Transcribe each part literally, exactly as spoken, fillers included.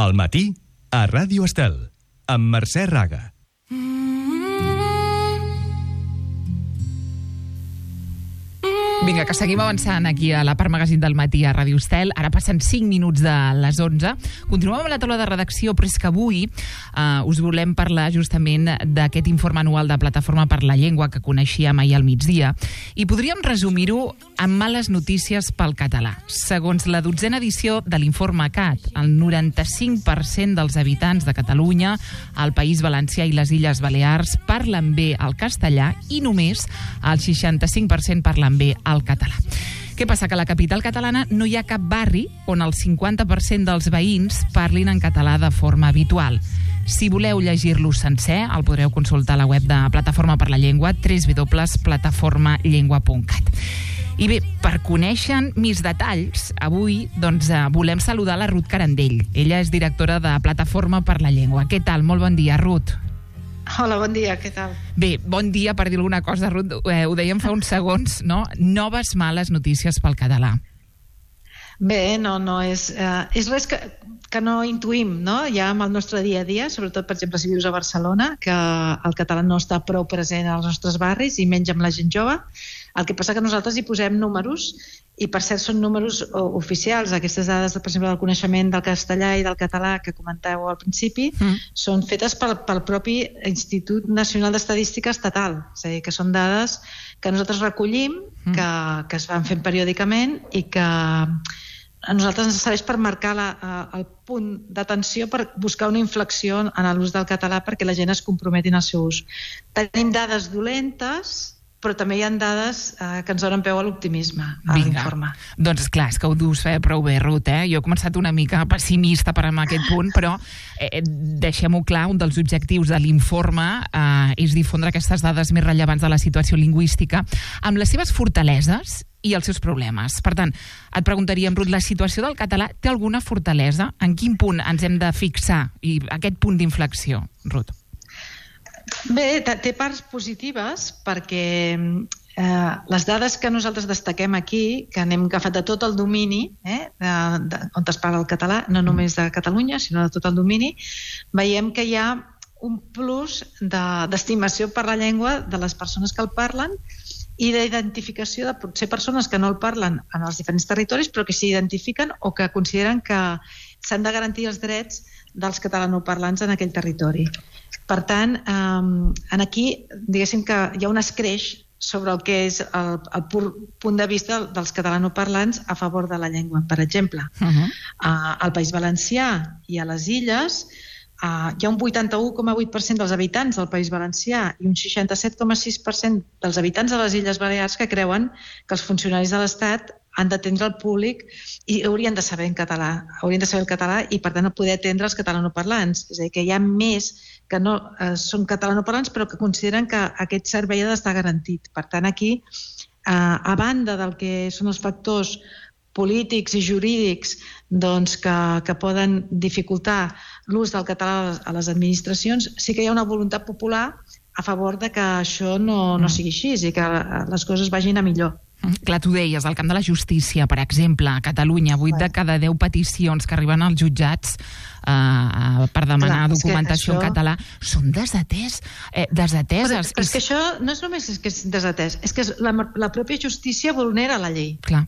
Al matí, a Ràdio Estel, amb Mercè Raga. Vinga, que seguim avançant aquí a la part magazín del matí a Ràdio Estel. Ara passen cinc minuts de les onze. Continuem amb la taula de redacció, però és que avui eh, us volem parlar justament d'aquest informe anual de Plataforma per la Llengua que coneixíem ahir al migdia. I podríem resumir-ho amb males notícies pel català. Segons la dotzena edició de l'informe C A T, el noranta-cinc per cent dels habitants de Catalunya, el País Valencià i les Illes Balears parlen bé el castellà i només el seixanta-cinc per cent parlen bé el català. Què passa? Que a la capital catalana no hi ha cap barri on el cinquanta per cent dels veïns parlin en català de forma habitual. Si voleu llegir-lo sencer, el podreu consultar a la web de Plataforma per la Llengua, w w w punt plataforma llengua punt cat. I bé, per conèixer més detalls, avui doncs, volem saludar la Ruth Carandell. Ella és directora de Plataforma per la Llengua. Què tal? Molt bon dia, Ruth. Hola, bon dia, què tal? Bé, bon dia, per dir alguna cosa, Ruth. Eh, ho dèiem fa uns segons, no? Noves males notícies pel català. Bé, no, no, és, eh, és res que, que no intuïm, no? Ja amb el nostre dia a dia, sobretot, per exemple, si vius a Barcelona, que el català no està prou present als nostres barris i menys amb la gent jove. El que passa que nosaltres hi posem números i, per cert, són números oficials. Aquestes dades, per exemple, del coneixement del castellà i del català que comentàveu al principi, mm. són fetes pel, pel propi Institut Nacional d'Estadística Estatal. És a dir, que són dades que nosaltres recollim, mm. que, que es van fent periòdicament i que a nosaltres ens serveix per marcar la, el punt d'atenció, per buscar una inflexió en l'ús del català perquè la gent es comprometi en el seu ús. Tenim dades dolentes, però també hi ha dades eh, que ens donen peu a l'optimisme, a l'informe. Doncs clar, és que ho dius eh, prou bé, Ruth, eh? Jo he començat una mica pessimista per amb aquest punt, però eh, deixem-ho clar, un dels objectius de l'informe eh, és difondre aquestes dades més rellevants de la situació lingüística amb les seves fortaleses i els seus problemes. Per tant, et preguntaríem, Ruth, la situació del català té alguna fortalesa? En quin punt ens hem de fixar? I aquest punt d'inflexió, Ruth? Bé, té parts positives perquè eh, les dades que nosaltres destaquem aquí, que n'hem agafat de tot el domini, eh, de, de, on es parla el català, no només de Catalunya, sinó de tot el domini, veiem que hi ha un plus d'estimació de, per la llengua de les persones que el parlen i d'identificació de potser persones que no el parlen en els diferents territoris, però que s'identifiquen o que consideren que s'han de garantir els drets dels catalanoparlants en aquell territori. Per tant, eh, aquí, diguéssim que hi ha un escreix sobre el que és el, el pur punt de vista dels catalanoparlants a favor de la llengua. Per exemple, uh-huh. eh, al País Valencià i a les Illes eh, hi ha un vuitanta-u coma vuit per cent dels habitants del País Valencià i un seixanta-set coma sis per cent dels habitants de les Illes Balears que creuen que els funcionaris de l'Estat han d'atendre el públic i haurien de saber en català, haurien de saber el català i, per tant, poder atendre els catalanoparlants. És a dir, que hi ha més que no eh, són catalanoparlants però que consideren que aquest servei ha d'estar garantit. Per tant, aquí, eh, a banda del que són els factors polítics i jurídics doncs, que, que poden dificultar l'ús del català a les administracions, sí que hi ha una voluntat popular a favor de que això no, no sigui així i que les coses vagin a millor. Clar, tu deies, al camp de la justícia, per exemple, a Catalunya, vuit de cada deu peticions que arriben als jutjats eh, per demanar Clar, documentació això... en català són desatès, eh, desateses. Però, però és que això no és només que és desatès, és que la, la pròpia justícia vulnera la llei. Clar.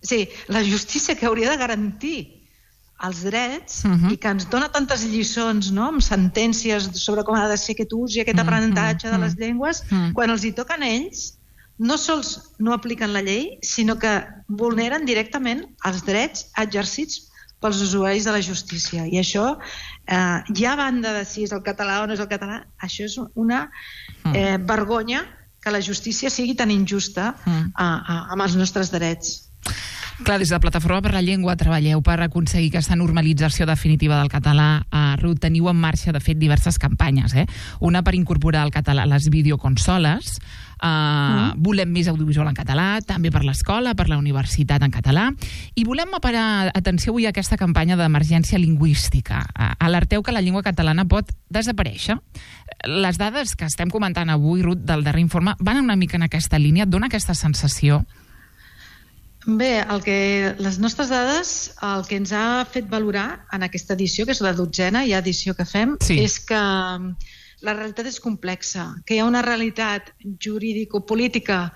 Sí, la justícia que hauria de garantir els drets uh-huh. i que ens dona tantes lliçons, no?, amb sentències sobre com ha de ser aquest ús i aquest uh-huh. aprenentatge uh-huh. de les llengües, uh-huh. quan els hi toquen a ells, no sols no apliquen la llei, sinó que vulneren directament els drets exercits pels usuaris de la justícia. I això, eh, ja a banda de si és el català o no és el català, això és una eh, vergonya que la justícia sigui tan injusta eh, eh, amb els nostres drets. Clar, des de Plataforma per la Llengua treballeu per aconseguir aquesta normalització definitiva del català. A Ruth, teniu en marxa, de fet, diverses campanyes. Eh? Una per incorporar el català a les videoconsoles. Uh, mm. Volem més audiovisual en català, també per l'escola, per la universitat en català. I volem parar atenció avui a aquesta campanya d'emergència lingüística. Uh, alerteu que la llengua catalana pot desaparèixer. Les dades que estem comentant avui, Ruth, del darrer informe, van una mica en aquesta línia. Et dona aquesta sensació? Bé, el que, les nostres dades, el que ens ha fet valorar en aquesta edició, que és la dotzena, ja edició que fem, sí. és que la realitat és complexa, que hi ha una realitat jurídico-política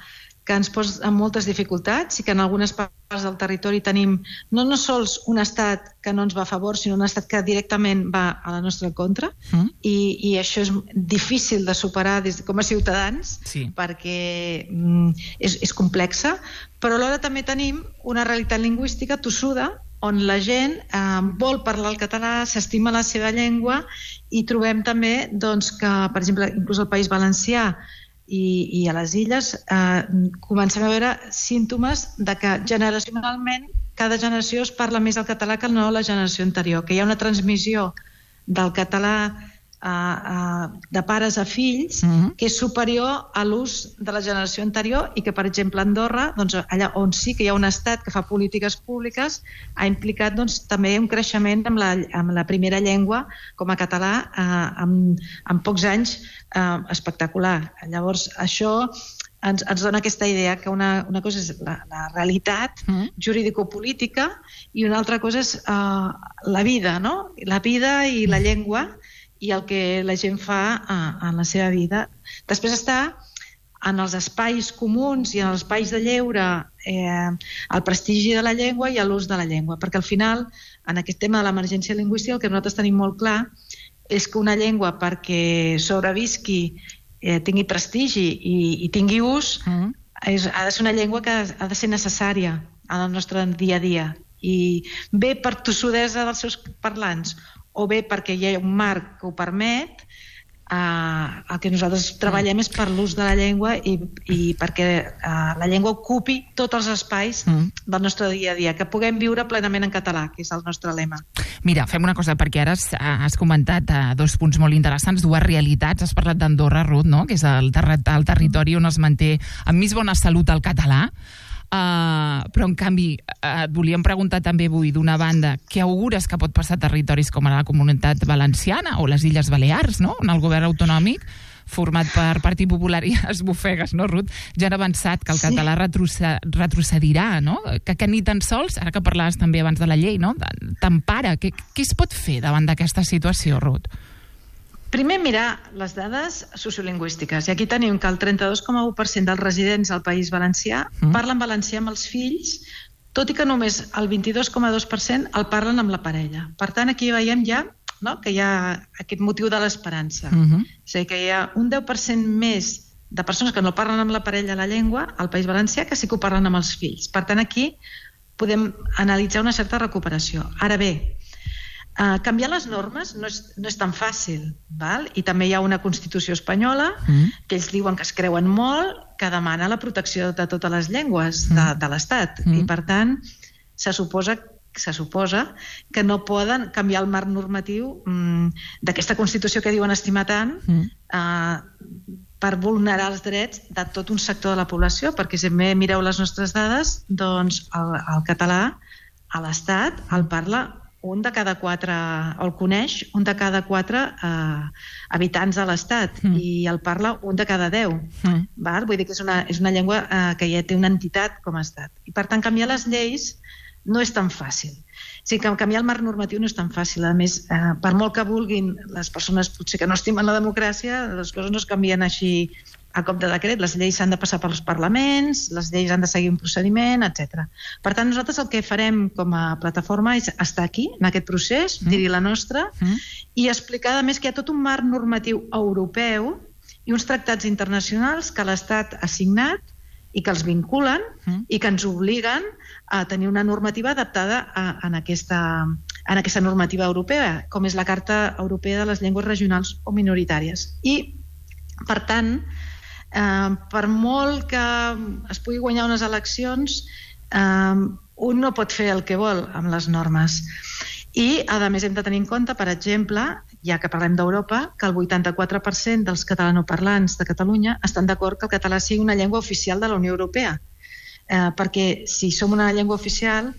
que ens posa en moltes dificultats i que en algunes parts del territori tenim no, no sols un estat que no ens va a favor, sinó un estat que directament va a la nostra contra, mm. i, i això és difícil de superar des, com a ciutadans, sí. perquè mm, és, és complexa, però alhora també tenim una realitat lingüística tossuda on la gent eh, vol parlar el català, s'estima la seva llengua, i trobem també doncs, que, per exemple, inclús al País Valencià i, i a les Illes eh, comencem a veure símptomes de que generacionalment cada generació es parla més el català que no la generació anterior, que hi ha una transmissió del català eh, eh, de pares a fills uh-huh. que és superior a l'ús de la generació anterior i que, per exemple, a Andorra, doncs, allà on sí que hi ha un estat que fa polítiques públiques, ha implicat doncs, també un creixement amb la, amb la primera llengua com a català eh, en, en pocs anys Uh, espectacular. Llavors, això ens, ens dona aquesta idea que una, una cosa és la, la realitat mm. jurídico-política i una altra cosa és uh, la vida, no? La vida i la llengua i el que la gent fa uh, en la seva vida. Després està en els espais comuns i en els espais de lleure eh, el prestigi de la llengua i l'ús de la llengua, perquè al final, en aquest tema de l'emergència lingüística, el que nosaltres tenim molt clar és que una llengua, perquè sobrevisqui, eh, tingui prestigi i, i tingui ús, mm. és, ha de ser una llengua que ha de ser necessària en el nostre dia a dia. I bé per tossudesa dels seus parlants o bé perquè hi ha un marc que ho permet, Uh, el que nosaltres treballem és per l'ús de la llengua i, i perquè uh, la llengua ocupi tots els espais mm. del nostre dia a dia, que puguem viure plenament en català, que és el nostre lema. Mira, fem una cosa, perquè ara has, has comentat uh, dos punts molt interessants, dues realitats. Has parlat d'Andorra, Ruth, no? Que és el, ter el territori on es manté amb més bona salut el català. Uh, però en canvi uh, et volíem preguntar també avui, d'una banda, què augures que pot passar a territoris com a la Comunitat Valenciana o les Illes Balears, no? On el govern autonòmic format per Partit Popular i esbufegues, no, Ruth? Ja han avançat que el sí. català retrocedirà, no? Que, que ni tan sols, ara que parlaves també abans de la llei, no? T'empara. Què, què es pot fer davant d'aquesta situació, Ruth? Primer, mirar les dades sociolingüístiques. I aquí tenim que el trenta-dos coma u per cent dels residents al País Valencià mm. parlen valencià amb els fills, tot i que només el vint-i-dos coma dos per cent el parlen amb la parella. Per tant, aquí veiem ja, no?, que hi ha aquest motiu de l'esperança. Mm-hmm. És a dir, que hi ha un deu per cent més de persones que no parlen amb la parella la llengua al País Valencià que sí que ho parlen amb els fills. Per tant, aquí podem analitzar una certa recuperació. Ara bé, Uh, canviar les normes no és, no és tan fàcil, val? I també hi ha una Constitució espanyola mm. que ells diuen que es creuen molt, que demana la protecció de totes les llengües mm. de, de l'Estat, mm. i per tant se suposa, se suposa que no poden canviar el marc normatiu mm, d'aquesta Constitució que diuen estimar tant mm. uh, per vulnerar els drets de tot un sector de la població, perquè si mireu les nostres dades, doncs el, el català a l'Estat el parla un de cada quatre, o el coneix un de cada quatre eh, habitants de l'Estat, mm. i el parla un de cada deu. Mm. Val? Vull dir que és una, és una llengua eh, que ja té una entitat com a Estat. I per tant, canviar les lleis no és tan fàcil. O sigui, que canviar el marc normatiu no és tan fàcil. A més, eh, per molt que vulguin les persones potser que no estimen la democràcia, les coses no es canvien així a cop de decret. Les lleis s'han de passar pels parlaments, les lleis han de seguir un procediment, etcètera. Per tant, nosaltres el que farem com a plataforma és estar aquí, en aquest procés, mm. dir-hi la nostra, mm. i explicar, a més, que hi ha tot un marc normatiu europeu i uns tractats internacionals que l'Estat ha signat i que els vinculen mm. i que ens obliguen a tenir una normativa adaptada a, en, aquesta, en aquesta normativa europea, com és la Carta Europea de les Llengües Regionals o Minoritàries. I, per tant, Uh, per molt que es pugui guanyar unes eleccions, uh, un no pot fer el que vol amb les normes. I, a més, hem de tenir en compte, per exemple, ja que parlem d'Europa, que el vuitanta-quatre per cent dels catalanoparlants de Catalunya estan d'acord que el català sigui una llengua oficial de la Unió Europea. Uh, perquè si som una llengua oficial,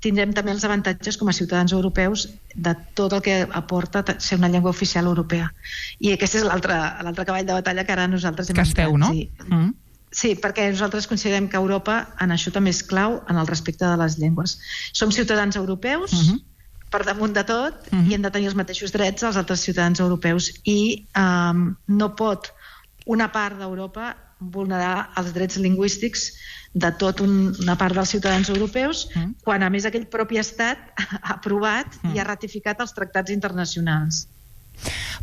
tindrem també els avantatges com a ciutadans europeus de tot el que aporta ser una llengua oficial europea. I aquest és l'altre cavall de batalla que ara nosaltres hem que esteu, no? Sí. Mm. Sí, perquè nosaltres considerem que Europa en això també és clau en el respecte de les llengües. Som ciutadans europeus, uh-huh. per damunt de tot, uh-huh. i hem de tenir els mateixos drets als altres ciutadans europeus, i um, no pot una part d'Europa vulnerar els drets lingüístics de tot un, una part dels ciutadans europeus, uh-huh. quan a més aquell propi estat ha aprovat uh-huh. i ha ratificat els tractats internacionals.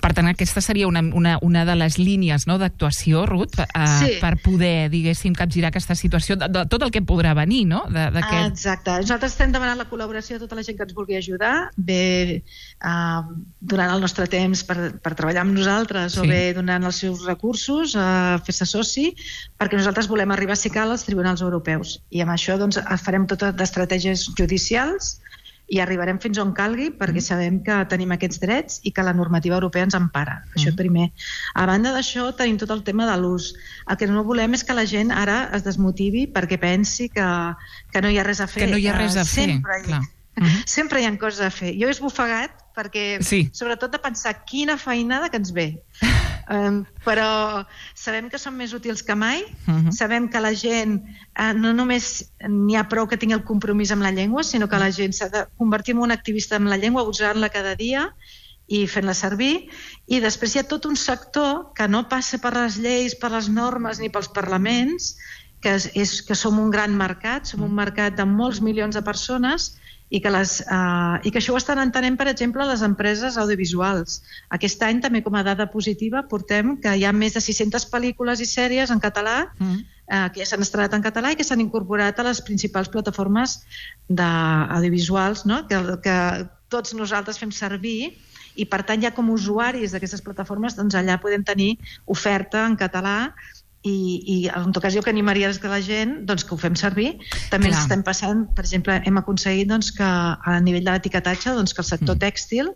Per tant, aquesta seria una, una, una de les línies, no, d'actuació, Ruth, eh, sí. per poder, diguéssim, capgirar aquesta situació, de, de tot el que podrà venir, no? De, ah, exacte. Nosaltres estem demanant la col·laboració de tota la gent que ens vulgui ajudar, bé eh, donant el nostre temps per, per treballar amb nosaltres, sí. o bé donant els seus recursos, eh, fer-se soci, perquè nosaltres volem arribar, si cal, als tribunals europeus. I amb això doncs, farem totes les estratègies judicials i arribarem fins on calgui, perquè mm. sabem que tenim aquests drets i que la normativa europea ens empara. Mm. Això primer. A banda d'això, tenim tot el tema de l'ús. El que no volem és que la gent ara es desmotivi perquè pensi que, que no hi ha res a fer. Que no hi ha res a fer, sempre hi, clar. Mm-hmm. Sempre hi ha coses a fer. Jo he esbufegat perquè, sí. sobretot de pensar quina feinada que ens ve. Um, però sabem que som més útils que mai, uh-huh. sabem que la gent uh, no només n'hi ha prou que tingui el compromís amb la llengua, sinó que la gent s'ha de convertir en un activista amb la llengua, usant-la cada dia i fent-la servir, i després hi ha tot un sector que no passa per les lleis, per les normes ni pels parlaments, que, és, és, que som un gran mercat, som un mercat de molts milions de persones, i que, les, uh, i que això ho estan entenent, per exemple, les empreses audiovisuals. Aquest any, també com a dada positiva, portem que hi ha més de sis-centes pel·lícules i sèries en català, mm. uh, que ja s'han estrenat en català i que s'han incorporat a les principals plataformes d'audiovisuals, no? que, que tots nosaltres fem servir, i per tant ja com usuaris d'aquestes plataformes doncs allà podem tenir oferta en català. I, i en tot cas jo que animaria que la gent doncs, que ho fem servir. També ens estem passant, per exemple, hem aconseguit doncs, que a nivell de l'etiquetatge doncs, que el sector mm. tèxtil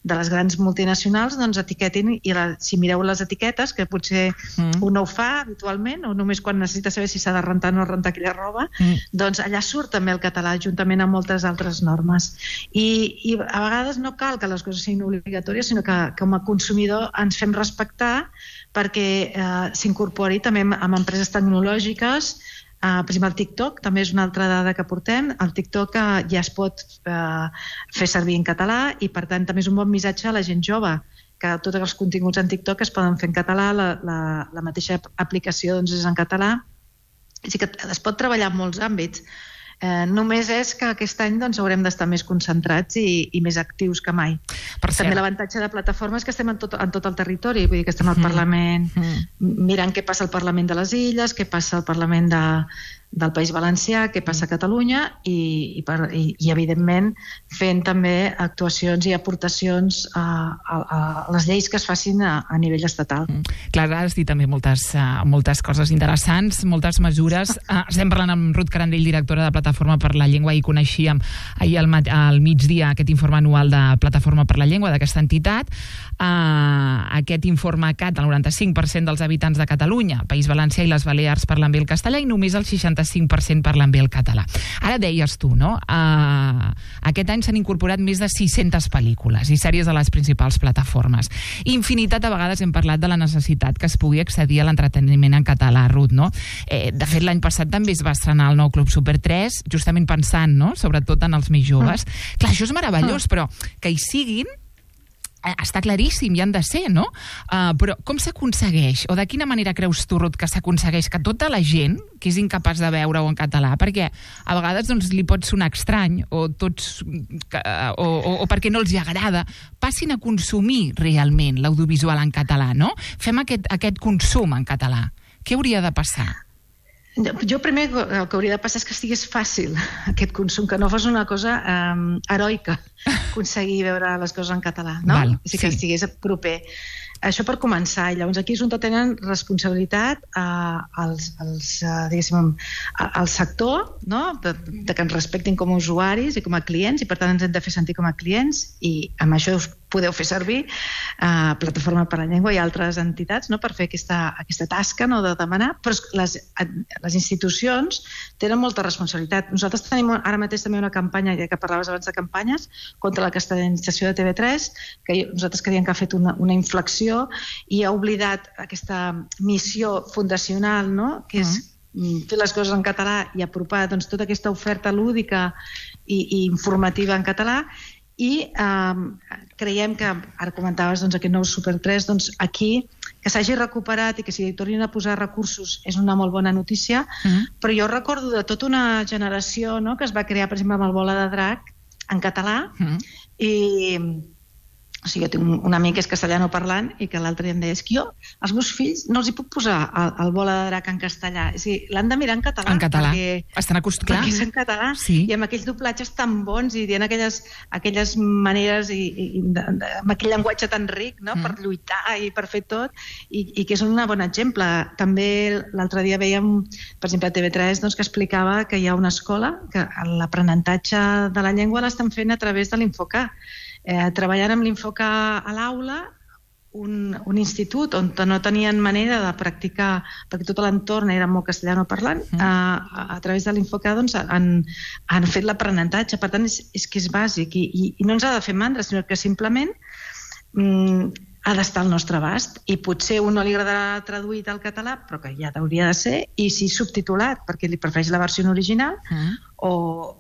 de les grans multinacionals doncs, etiquetin, i la, si mireu les etiquetes, que potser mm. un no ho fa habitualment, o només quan necessita saber si s'ha de rentar o no rentar aquella roba, mm. doncs allà surt també el català, juntament amb moltes altres normes. I, i a vegades no cal que les coses siguin obligatòries, sinó que com a consumidor ens fem respectar perquè eh, s'incorpori també amb, amb empreses tecnològiques. Uh, per exemple, el TikTok també és una altra dada que portem. El TikTok uh, ja es pot uh, fer servir en català i, per tant, també és un bon missatge a la gent jove, que tots els continguts en TikTok es poden fer en català, la, la, la mateixa aplicació doncs, és en català. Així que es pot treballar en molts àmbits. Eh, només és que aquest any doncs, haurem d'estar més concentrats i, i més actius que mai. Per També l'avantatge de plataforma és que estem en tot, en tot el territori, vull dir que estem al mm. Parlament, mm. mirant què passa al Parlament de les Illes, què passa al Parlament de, del País Valencià, què passa a Catalunya i, i, per, i, i evidentment fent també actuacions i aportacions a, a, a les lleis que es facin a, a nivell estatal. Mm. Clar, has dit també moltes, uh, moltes coses interessants, moltes mesures. Uh, estem parlant amb Ruth Carandell, directora de Plataforma per la Llengua, i coneixíem ahir al, mat al migdia aquest informe anual de Plataforma per la Llengua d'aquesta entitat. Uh, aquest informe C A T, el noranta-cinc per cent dels habitants de Catalunya, País Valencià i les Balears parlen bé el castellà i només el seixanta-cinc per cent parlen bé el català. Ara deies tu, no? Uh, aquest any s'han incorporat més de sis-centes pel·lícules i sèries de les principals plataformes. Infinitat de vegades hem parlat de la necessitat que es pugui accedir a l'entreteniment en català, Ruth, no? Eh, de fet, l'any passat també es va estrenar el nou Club Super tres, justament pensant, no?, sobretot en els més joves. Mm. Clar, això és meravellós, mm. però que hi siguin està claríssim, hi han de ser, no? Uh, però com s'aconsegueix? O de quina manera creus tu, Ruth, que s'aconsegueix que tota la gent que és incapaç de veure-ho en català, perquè a vegades doncs, li pot sonar estrany, o, tots, o, o, o perquè no els hi agrada, passin a consumir realment l'audiovisual en català, no? Fem aquest, aquest consum en català. Què hauria de passar? Jo primer el que hauria de passar és que estigués fàcil aquest consum, que no fos una cosa um, heroica aconseguir veure les coses en català, no? Val, sí. Que estigués proper. Això per començar. I llavors aquí és on tenen responsabilitat uh, els, els, uh, diguéssim, el sector, no? de, de que ens respectin com a usuaris i com a clients, i per tant ens hem de fer sentir com a clients, i amb això us podeu fer servir uh, Plataforma per la Llengua i altres entitats, no?, per fer aquesta, aquesta tasca, no?, de demanar, però les, les institucions tenen molta responsabilitat. Nosaltres tenim ara mateix també una campanya, ja que parlaves abans de campanyes, contra la castellanització de T V tres, que nosaltres creiem que ha fet una, una inflexió i ha oblidat aquesta missió fundacional, no?, que és mm. fer les coses en català i apropar doncs, tota aquesta oferta lúdica i, i informativa en català. I eh, creiem que, ara comentaves doncs, aquest nou Super tres, doncs, aquí que s'hagi recuperat i que s'hi tornin a posar recursos és una molt bona notícia, mm. però jo recordo de tota una generació, no?, que es va crear, per exemple, amb el Bola de Drac en català, mm. i o sigui, jo tinc un amic que és castellano parlant i que l'altre dia em deia, és que jo als meus fills no els hi puc posar el, el Bola de Drac en castellà, és a dir, l'han de mirar en català. En català, perquè, estan acostumats. Perquè és en català, sí. I amb aquells doblatges tan bons i dient aquelles, aquelles maneres i, i, i de, de, amb aquell llenguatge tan ric, no?, mm. per lluitar i per fer tot, i, i que és un bon exemple. També l'altre dia veiem, per exemple, a T V tres, doncs, que explicava que hi ha una escola que l'aprenentatge de la llengua l'estan fent a través de l'Infocar. Eh, treballant amb l'Infocar a l'aula, un, un institut on no tenien manera de practicar, perquè tot l'entorn era molt castellano parlant, mm. a, a través de l'Infocar doncs, han, han fet l'aprenentatge. Per tant, és, és que és bàsic i, i, i no ens ha de fer mandra, sinó que simplement mm, ha d'estar al nostre abast, i potser a un no li agradarà traduït al català, però que ja hauria de ser, i sí subtitulat, perquè li prefereix la versió original, mm. o,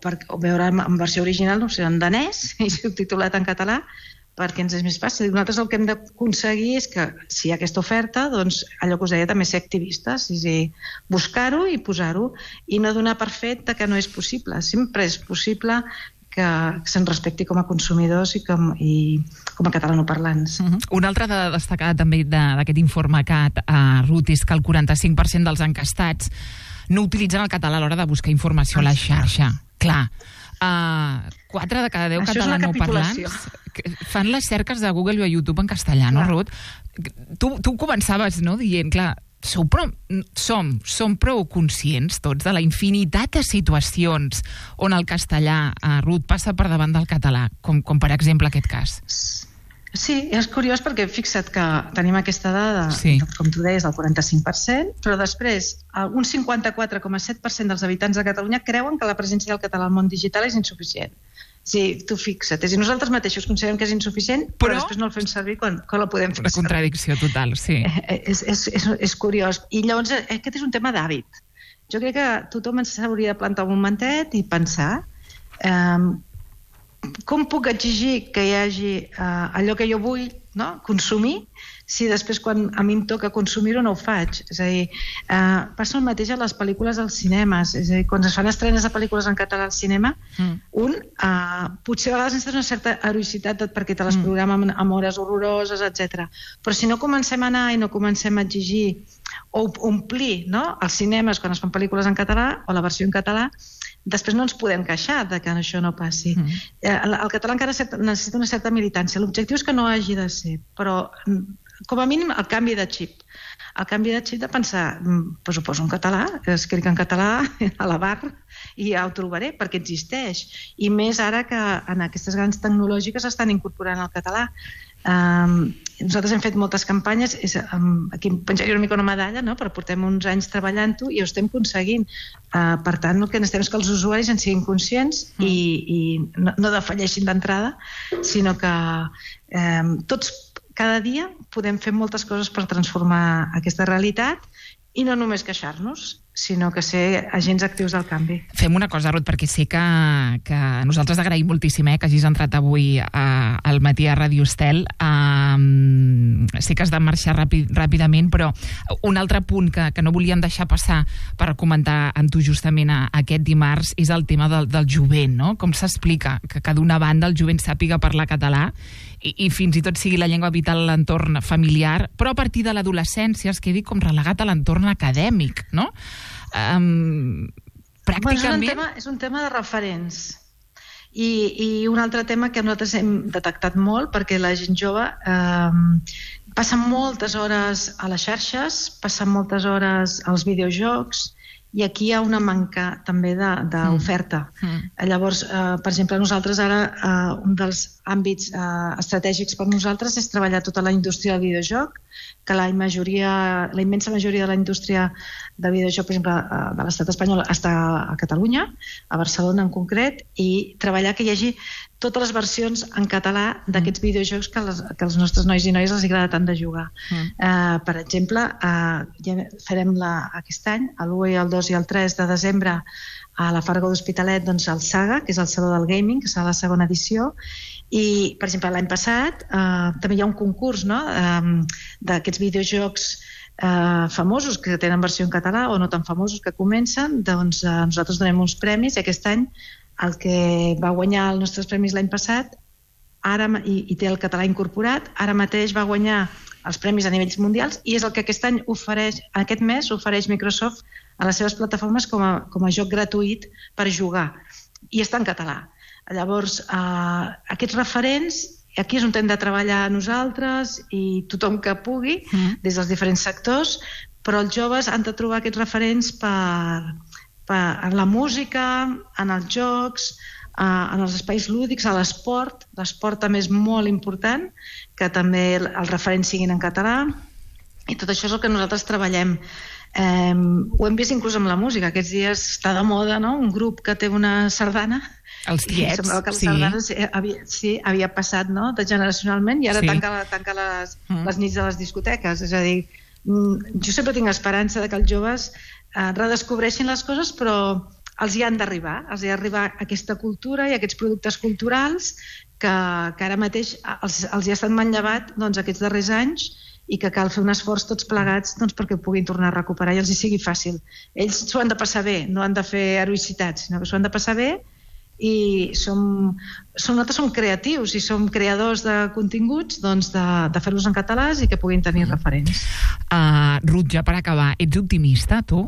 per, o veure en versió original, no sé, en danès, i subtitulat en català, perquè ens és més fàcil. Nosaltres el que hem d'aconseguir és que, si hi ha aquesta oferta, doncs allò que us deia, també ser activistes, és a dir, buscar-ho i posar-ho, i no donar per fet que no és possible. Sempre és possible que se'n respecti com a consumidors i com, i com a catalanoparlants. Uh-huh. Una altra de destacar també d'aquest informe C A T, uh, Ruth, és que el quaranta-cinc per cent dels encastats no utilitzen el català a l'hora de buscar informació a la xarxa. Clar, uh, quatre de cada deu catalanoparlants fan les cerques de Google o a YouTube en castellà, no, Ruth? Tu, tu començaves, no?, dient, clar, Sou prou, som, som prou conscients tots de la infinitat de situacions on el castellà, eh, Ruth, passa per davant del català, com, com per exemple aquest cas. Sí, és curiós perquè fixa't que tenim aquesta dada, sí. com tu deies, del quaranta-cinc per cent, però després un cinquanta-quatre coma set per cent dels habitants de Catalunya creuen que la presència del català al món digital és insuficient. Sí, tu fixa't. És a dir, nosaltres mateixos considerem que és insuficient, però, però després no el fem servir quan, quan la podem fer servir. Una contradicció total, sí. És, és, és, és curiós. I llavors aquest és un tema d'hàbit. Jo crec que tothom s'hauria de plantar un momentet i pensar eh, com puc exigir que hi hagi eh, allò que jo vull, no?, consumir, si després quan a mi em toca consumir-ho no ho faig. És a dir, eh, passa el mateix a les pel·lícules als cinemes. És a dir, quan es fan estrenes de pel·lícules en català al cinema, mm. un, eh, potser a vegades necessites una certa heroïcitat perquè te les mm. programa amb, amb hores horroroses, etcètera. Però si no comencem a anar i no comencem a exigir o omplir, no?, els cinemes quan es fan pel·lícules en català o la versió en català, després no ens podem queixar de que això no passi. Mm. El, el català encara necessita una certa militància. L'objectiu és que no hagi de ser, però com a mínim el canvi de xip. El canvi de xip de pensar, pues ho poso en català, escric en català a la barra i ja ho trobaré, perquè existeix. I més ara que en aquestes grans tecnològiques estan incorporant el català. Um, nosaltres hem fet moltes campanyes, és, um, aquí em penjaria una mica una medalla, no?, però portem uns anys treballant-ho i ho estem aconseguint. Uh, per tant, el que necessitem és que els usuaris en siguin conscients mm. i, i no, no defalleixin d'entrada, sinó que um, tots cada dia podem fer moltes coses per transformar aquesta realitat i no només queixar-nos, sinó que ser agents actius del canvi. Fem una cosa, Ruth, perquè sé que, que nosaltres agraïm moltíssim eh, que hagis entrat avui a, al matí a Ràdio Estel. Um, sé que has de marxar ràpid, ràpidament, però un altre punt que, que no volíem deixar passar per comentar amb tu justament a, a aquest dimarts és el tema del, del jovent, no? Com s'explica que, que d'una banda el jovent sàpiga parlar català i, i fins i tot sigui la llengua vital a l'entorn familiar, però a partir de l'adolescència es quedi com relegat a l'entorn acadèmic, no? Um, pràcticament... Bueno, és, un tema, és un tema de referents. I, i un altre tema que nosaltres hem detectat molt, perquè la gent jove eh, passa moltes hores a les xarxes, passa moltes hores als videojocs i aquí hi ha una manca també d'oferta. Mm. Mm. Llavors, eh, per exemple, nosaltres ara, eh, un dels àmbits eh, estratègics per nosaltres és treballar tota la indústria del videojoc, que la majoria, la immensa majoria de la indústria del videojoc, per exemple, eh, de l'estat espanyol està a Catalunya, a Barcelona en concret, i treballar que hi hagi totes les versions en català d'aquests videojocs que, les, que als nostres nois i noies els agrada tant de jugar. Mm. Eh, per exemple, eh, ja farem la, aquest any, l'u, el dos i el tres de desembre, a la Farga d'Hospitalet, doncs, el Saga, que és el Saló del Gaming, que serà la segona edició, i, per exemple, l'any passat eh, també hi ha un concurs, no?, eh, d'aquests videojocs eh, famosos que tenen versió en català o no tan famosos que comencen, doncs eh, nosaltres donem uns premis i aquest any el que va guanyar els nostres premis l'any passat ara, i, i té el català incorporat, ara mateix va guanyar els premis a nivells mundials i és el que aquest any ofereix, aquest mes ofereix Microsoft a les seves plataformes com a, com a joc gratuït per jugar, i està en català. Llavors, eh, aquests referents, aquí és on hem de treballar nosaltres i tothom que pugui, mm. des dels diferents sectors, però els joves han de trobar aquests referents per, per, en la música, en els jocs, eh, en els espais lúdics, a l'esport. L'esport també és molt important, que també els referents siguin en català, i tot això és el que nosaltres treballem. Eh, ho hem vist inclús amb la música. Aquests dies està de moda, no?, un grup que té una sardana. Els tiets, semblava que la sí. sardana havia, sí, havia passat, no?, de generacionalment, i ara sí. tanca, tanca les, mm. les nits de les discoteques. És a dir, jo sempre tinc esperança de que els joves eh, redescobreixin les coses, però els hi han d'arribar, els hi ha d'arribar aquesta cultura i aquests productes culturals que, que ara mateix els, els hi ha estat manllevat, doncs, aquests darrers anys, i que cal fer un esforç tots plegats, doncs, perquè ho puguin tornar a recuperar i els hi sigui fàcil. Ells s'ho han de passar bé, no han de fer heroïcitats, sinó que s'ho han de passar bé, i som, som, nosaltres som creatius i som creadors de continguts, doncs, de, de fer-los en català i que puguin tenir referents. Uh, Ruth, ja per acabar, ets optimista, tu?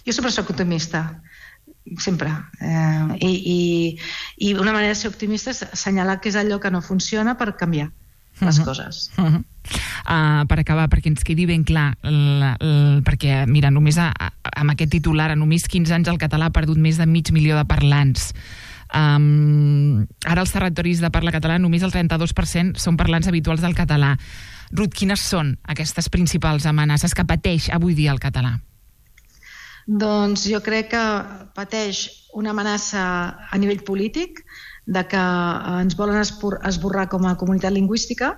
Jo sempre soc optimista, sempre. Eh, i, i, I una manera de ser optimista és assenyalar què és allò que no funciona per canviar les uh-huh. coses. Uh-huh. Uh, per acabar, perquè ens quedi ben clar, la, la, perquè, mira, només a, a, amb aquest titular, a només quinze anys el català ha perdut més de mig milió de parlants. Um, ara als territoris de parla català només el trenta-dos per cent són parlants habituals del català. Ruth, quines són aquestes principals amenaces que pateix avui dia el català? Doncs jo crec que pateix una amenaça a nivell polític, de que ens volen esborrar com a comunitat lingüística,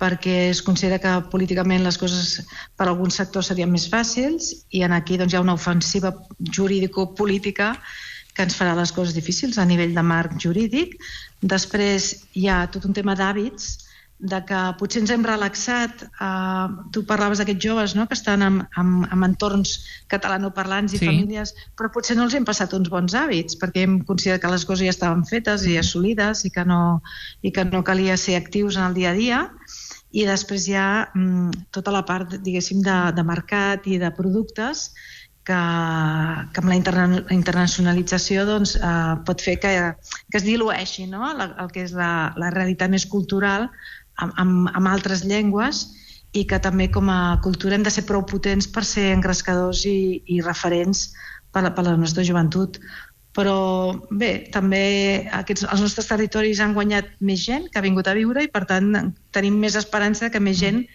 perquè es considera que políticament les coses per a alguns sectors serien més fàcils, i en aquí doncs, hi ha una ofensiva jurídico-política que ens farà les coses difícils a nivell de marc jurídic. Després hi ha tot un tema d'hàbits, de que potser ens hem relaxat. Eh, tu parlaves d'aquests joves, no?, que estan en, en, en entorns catalanoparlants i sí. famílies, però potser no els hem passat uns bons hàbits, perquè hem considerat que les coses ja estaven fetes i assolides i que no, i que no calia ser actius en el dia a dia. I després hi ha mm, tota la part, diguéssim, de, de mercat i de productes que, que amb la interna, internacionalització doncs, eh, pot fer que, que es dilueixi, no?, la, el que és la, la realitat més cultural amb, amb, amb altres llengües, i que també com a cultura hem de ser prou potents per ser engrescadors i, i referents per la, per la nostra joventut. Però bé, també aquests, els nostres territoris han guanyat més gent que ha vingut a viure, i per tant tenim més esperança que més gent,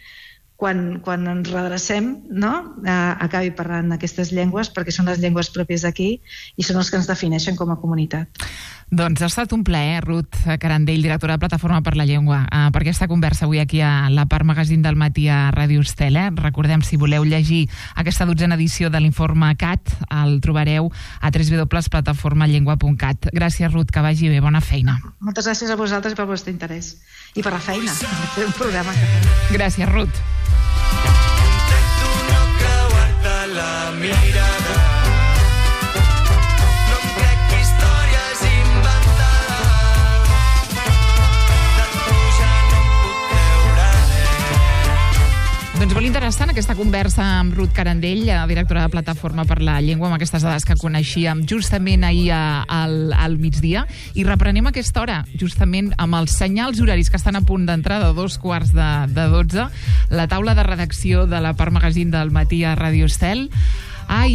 quan, quan ens redrecem, no?, eh, acabi parlant aquestes llengües, perquè són les llengües pròpies d'aquí i són els que ens defineixen com a comunitat. Doncs ha estat un plaer, Ruth Carandell, directora de Plataforma per la Llengua, eh, per aquesta conversa avui aquí a la Part Magazín del matí a Ràdio Estel. Eh? Recordem, si voleu llegir aquesta dotzena edició de l'informe C A T, el trobareu a w w w punt plataforma llengua punt cat. Gràcies, Ruth, que vagi bé, bona feina. Moltes gràcies a vosaltres pel vostre interès i per la feina, per fer un programa. Gràcies, Ruth. Intento no creuar-te la mirada, no em crec històries inventades, de tu ja no em puc creure res. Doncs molt interessant aquesta conversa amb Ruth Carandell, directora de Plataforma per la Llengua, amb aquestes dades que coneixíem justament ahir a, al, al migdia, i reprenem a aquesta hora, justament amb els senyals horaris que estan a punt d'entrar de dos quarts de, de dotze, la taula de redacció de la Part Magazín del matí a Ràdio Estel. Ai,